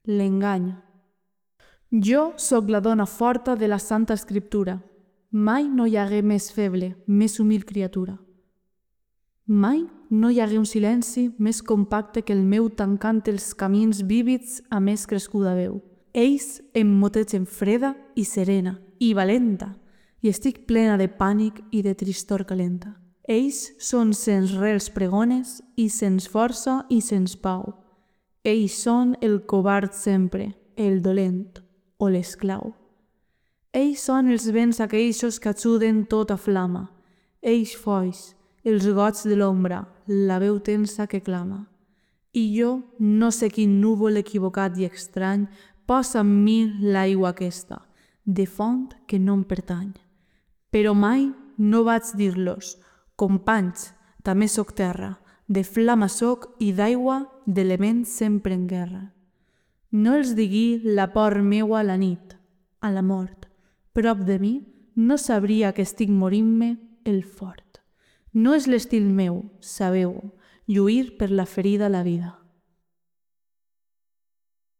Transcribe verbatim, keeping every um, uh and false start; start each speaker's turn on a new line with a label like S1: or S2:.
S1: l'engany. Jo sóc la dona forta de la Santa Escriptura. Mai no hi hagué més feble, més humil criatura. Mai no hi hagué un silenci més compacte que el meu tancant els camins vívids a més crescuda veu. Ells em motegen freda i serena i valenta, i estic plena de pànic i de tristor calenta. Ells són sens rels pregones i sens força i sens pau. Ells són el covard sempre, el dolent o l'esclau. Ells són els vents aqueixos que ajuden tota flama. Ells foix, els goig de l'ombra, la veu tensa que clama. I jo no sé quin núvol equivocat i estrany posa en mi l'aigua aquesta, de font que no em pertany. Però mai no vaig dir-los, companys, també soc terra, de flama soc i d'aigua, d'element sempre en guerra. No els digui la por meua a la nit, a la mort. Prop de mi no sabria que estic morint-me el fort. No és l'estil meu, sabeu, lluir per la ferida a la vida.